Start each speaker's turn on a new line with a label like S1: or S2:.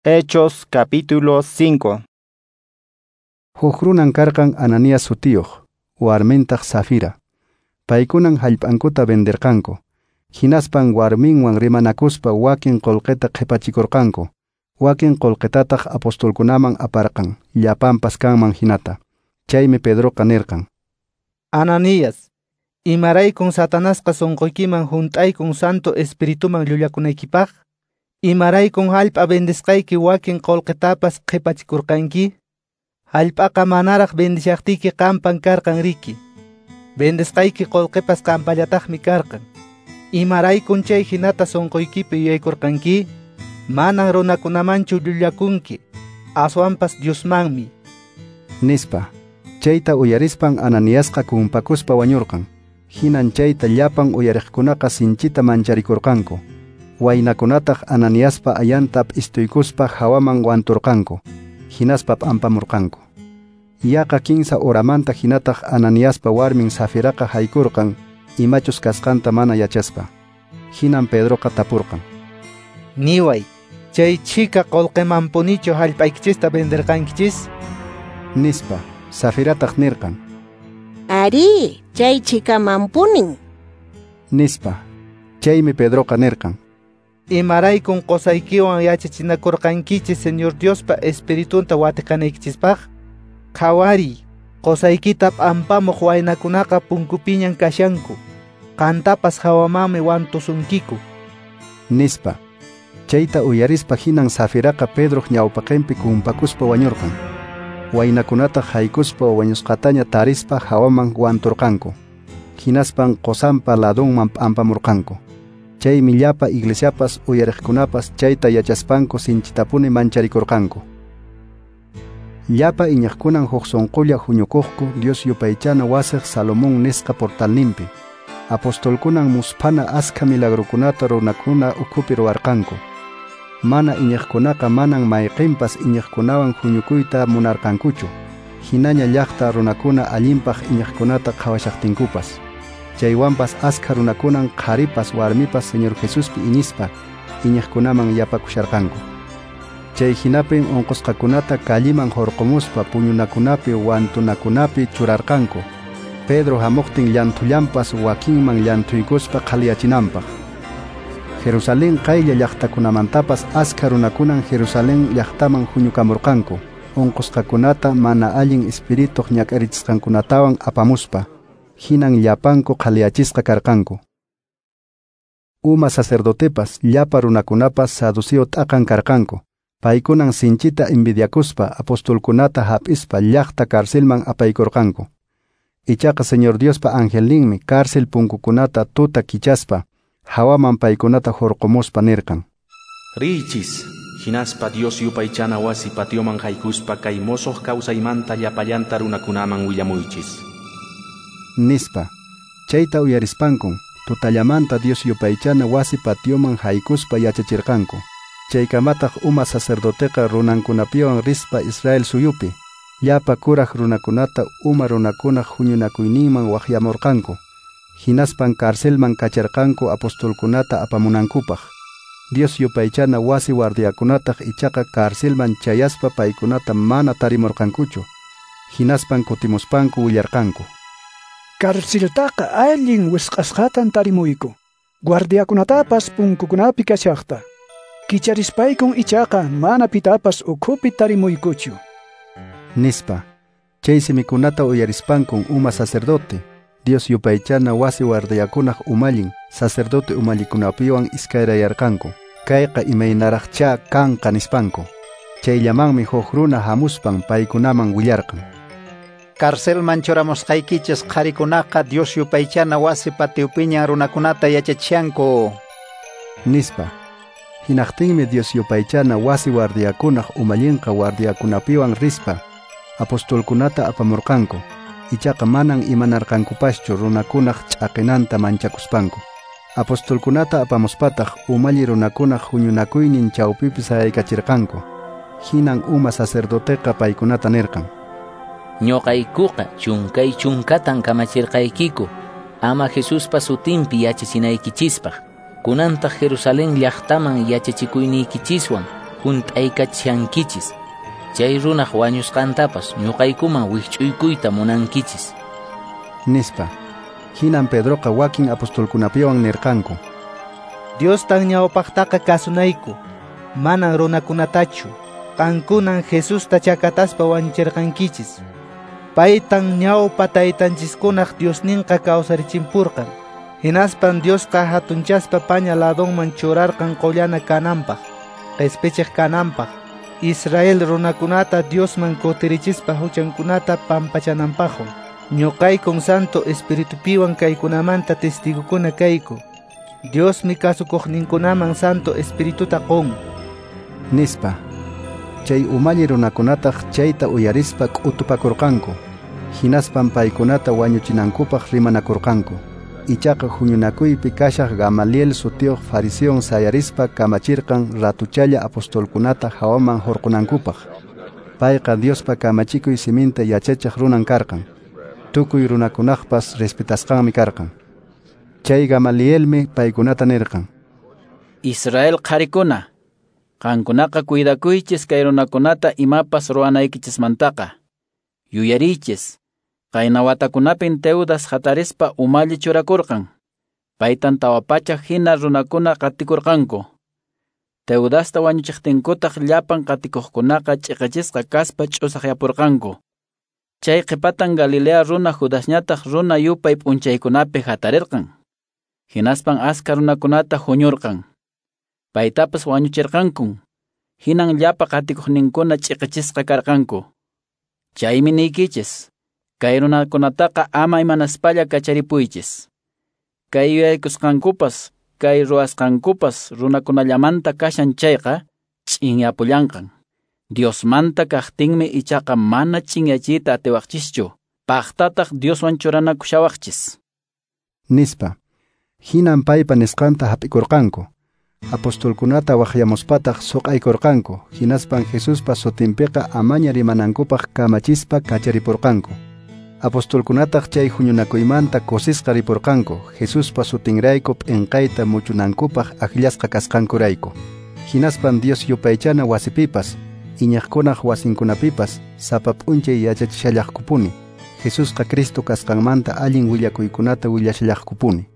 S1: Hechos capítulo 5.
S2: Huk runan karqan Ananías sutiyuq, warmintaq Safira. Paykunan hallp'ankuta venderqanku. Hinaspan warminwan rimanakuspa wakin qullqita qhipachikurqanku. Wakin qullqitataq apostolkunaman aparqan, llapanpas kanman hinata. Chaymi Pedroqa nirqan:
S3: Ananías, imaraykun Satanasqa sunquykiman hunt'aykun Santo Espirituman llullakunaykipaq? Imaraykun hallp'a vendisqayki wakin qullqitapas qhipachikurqanki? Hallp'aqa manaraq vendishaqtiyki qampan karqan riki. Vendisqayki qullqipas qampallataqmi karqan. Imaraykun chay hinata sunquykipi yuyaykurqanki? Manan runakunamanchu llullakunki, aswanpas Diosmanmi.
S2: Nispa. Chayta uyarispan Ananiasqa kumpakuspa wañurqan. Hinan chayta llapan uyariqkunaqa sinchita mancharikurqanku. Waynakunataq Ananiaspa ayanta p'istuykuspa hawaman wanturqanku. Hinaspa p'ampamurqanku. Yaqa 15 horamanta hinataq Ananiaspa warmin Safiraqa haykurqan, imachus kasqanta mana yachaspa. Hinan Pedroqa tapurqan:
S3: Niway, chay chhika qullqimanpunichu hallp'aykichista venderqankichis?
S2: Nispa. Safirataq nirqan:
S4: Ari, chay chhikamanpunin.
S2: Nispa. Chaymi Pedroqa nirqan:
S3: Imaraykun qusaykiwan yachachinakurqankichis Señor Diospa Espiritunta watiqanaykichispaq? Qhawariy, qusaykita p'ampamuq waynakunaqa punkupiñan kashanku. Qantapas hawamanmi wantusunkiku.
S2: Nispa. Chayta uyarispa hinan Safiraqa Pedroq ñawpaqinpi kumpakuspa wañurqan. Waynakunataq haykuspa wañusqataña tarispa hawaman wanturqanku. Hinaspan qusanpa ladunman p'ampamurqanku. Chaymi llapa iglesiapas uyariqkunapas chayta yachaspanku sinchitapuni mancharikurqanku. Llapa iñiqkunan huk sunqulla huñukuqku Dios yupaychana wasiq Salomón nisqa portalninpi. Apostolkunan musphana askha milagrukunata runakuna ukhupi ruwarqanku. Mana iñiqkunaqa manan mayqinpas iñiqkunawan huñukuyta munarqankuchu. Hinaña llaqta runakuna allinpaq iñiqkunata qhawashaqtinkupas. Chaywanpas askha runakunan qharipas warmipas Señor Jesuspi iñispa iñiqkunaman yapakusharqanku. Chay hinapin unqusqakunata kalliman hurqumuspa puñunakunapi wantunakunapi churarqanku. Pedro hamuqtin llanthullanpas wakinman llanthuykuspa qhaliyachinanpaq. Jerusalén qaylla llaqtakunamantapas askha runakunan Jerusalén llaqtaman huñukamurqanku, unqusqakunata mana allin espirituq ñak'arichisqankunatawan apamuspa. Hinan llapanku qhaliyachisqa karqanku. Uma sacerdotepas llapa runakunapas saduceo t'aqan karqanku. Paykunan sinchita envidiakuspa apostolkunata hap'ispa llaqta carcelman apaykurqanku. Ichaqa Señor Diospa angelninmi cárcel punkukunata tuta kichaspa hawaman paykunata hurqumuspa nirqan:
S5: Riychis, hinaspa Dios yupaychana wasi patioman haykuspa kay mosoq kawsaymanta llapallanta runakunaman willamuychis.
S2: Nispa. Chayta uyarispankun tutallamanta Dios yupaychana wasi patioman haykuspa yachachirqanku. Chaykamataq uma sacerdoteqa runankunapiwan rispa Israel suyupi llapa kuraq runakunata uma runakunaq huñunakuyninman waqyamurqanku. Hinaspan carcelman kacharqanku apostolkunata apamunankupaq. Dios yupaychana wasi guardiakunataq ichaqa carcelman chayaspa paykunata mana tarimurqankuchu. Hinaspan kutimuspanku willarqanku:
S6: Carceltaqa allin wisq'asqatan tarimuyku. Guardiakunatapas punkukunapi kashaqta. Kicharispaykun ichaqa mana pitapas ukhupi tarimuykuchu.
S2: Nispa. Chay simikunata uyarispankun uma sacerdote, Dios yupaychana wasi guardiakunaq umallin, sacerdote umallikunapiwan iskayrayarqanku. Kayqa imaynaraqchá kanqa nispanku. Chayllamanmi huk runa hamuspan paykunaman willarqan:
S7: Carcelman churamusqaykichis qharikunaqa Dios yupaychana wasi patiopiñan runakunata yachachishanku.
S2: Nispa. Hinaqtinmi Dios yupaychana wasi guardiakunaq umallinqa guardiakunapiwan rispa apostolkunata apamurqanku. Ichaqa manan imanarqankupaschu runakunaq ch'aqinanta manchakuspanku. Apostolkunata apamuspataq umalli runakunaq huñunakuynin chawpipi sayaykachirqanku. Hinan uma sacerdoteqa paykunata nirqan:
S8: Ñuqaykuqa chunkay chunkatan kamachirqaykiku ama Jesuspa sutinpi yachachinaykichispaq. Kunantaq Jerusalén llaqtaman yachachikuyniykichishwan hunt'aykachishankichis. Chay runaq wañusqantapas ñuqaykuman wikch'uykuyta munankichis,
S2: nispa. Hinan Pedroqa wakin apostolkunapiwan nirqanku:
S3: Diostan ñawpaqtaqa kasunayku, manan runakunatachu. Qankunan Jesusta chakataspa wañuchirqankichis. Paytan ñawpa taytanchiskunaq Diosninqa kawsarichimpurqan. Hinaspan Diosqa hatunchaspa paña ladonman churarqan qollana kananpaq, qespichiq kananpaq, Israel runakunata Diosman kutirichispa huchankunata pampachananpaqwan. Ñuqaykun Santo Espiritupiwan kaykunamanta testigokuna kayku. Diosmi kasukuqninkunaman Santo Espirituta qun,
S2: nispa. Chay umalli runakunataq chayta uyarispa k'utupakurqanku. Hinaspan paykunata wañuchinankupaq rimanakurqanku. Ichaqa huñunakuypi kashaq Gamaliel sutiyuq fariseon sayarispa kamachirqan ratuchalla apostolkunata hawaman hurqunankupaq. Payqa Diospa kamachikuy siminta yachachiq runan karqan. Tukuy runakunaqpas respetasqanmi karqan. Chay Gamalielmi paykunata nirqan:
S9: Israel qharikuna, qankunaqa cuidakuychis kay runakunata imapas ruwanaykichismantaqa. Yuyariychis, qayna watakunapin Teudas hatarispa umalli churakurqan. Paytan 400 hina runakuna qatikurqanku. Teudasta wañuchiqtinkutaq llapan qatikuqkunaqa ch'iqichisqa kaspa ch'usaqyapurqanku. Chay qhipatan Galilea runa Judasñataq runa yupay p'unchaykunapi hatarirqan. Hinaspan aska runakunata huñurqan. Paytapas wañuchirqankun. Hinan llapa qatikuqninkuna ch'iqichisqa karqanku. Chaymi niykichis, kay runakunataqa ama imanaspalla kacharipuychis. Kay yuyaykusqankupas, kay ruwasqankupas runakunallamanta kashan chayqa ch'inyapullanqan. Diosmanta kaqtinmi ichaqa mana ch'inyachiyta atiwaqchischu, paqtataq Dioswan churanakushawaqchis,
S2: nispa. Hinan paypa nisqanta hap'ikurqanku. Apostolkunata waqyamuspataq suq'aykurqanku. Hinaspan Jesuspa sutinpiqa amaña rimanankupaq kamachispa kacharipurqanku. Apostolkunataq chay huñunakuymanta kusisqa ripurqanku, Jesuspa sutinrayku p'inqayta muchunankupaq akllasqa kasqankurayku. Hinaspan Dios yupaychana wasipipas, iñaqkunaq wasinkunapipas sapa p'unchay yachachishallaqkupuni. Jesusqa Cristo kasqanmanta allin willakuykunata willashallaqkupuni.